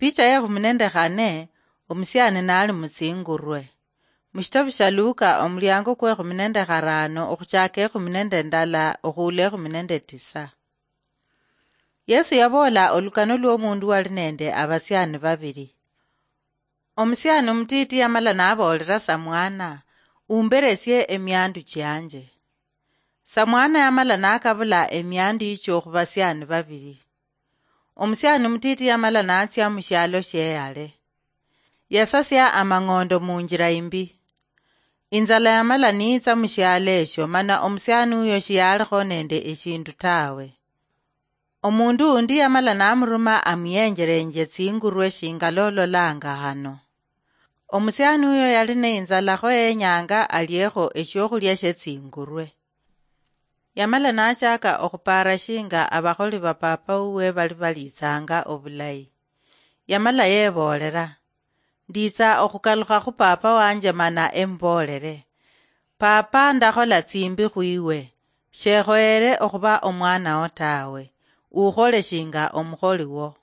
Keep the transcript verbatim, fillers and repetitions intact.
Picha ya ekhumi nende khane, omusiani nali mutsingurwe. Mushitabu sha Luka, omuliango kwa ekhumi nende kharano, okhuchaka ekhumi nende ndala, okhuula ekhumi nende tisa. Yesu yaboola olukano lw'omundu wali nende abasiani babili. Omusiani omutiti yamala naboolera samwana, "Umberesie emiandu chianje." Samwana yamala nakabula emiandu yichio khubasiani babili. Omusiani omutiti yamala natsia mushialo shieyale. Yasasia amang'ondo munjila imbi. Inzala yamala niitsa mushialo esho, mana omusiani uyo shiyalikho nende eshindu tawe. Omundu undi yamala namuruma amuyenjelenje tsingurwe shinga lololanga hano. Omusiani uyo yali neinzala kho yenyanga aliekho eshiokhulia shie tsingurwe. Yamala nachaka okhupara shinga abakholi ba papa uwe bali balitsanga obulayi. Yamala yeboolera, "Nditsa okhukalukha khu papa wanje mana emuboolere, 'Papa, ndakhola tsimbi khwiwe, shekhoyere okhuba omwanawo tawe, ukhole shinga omukholi wo.'"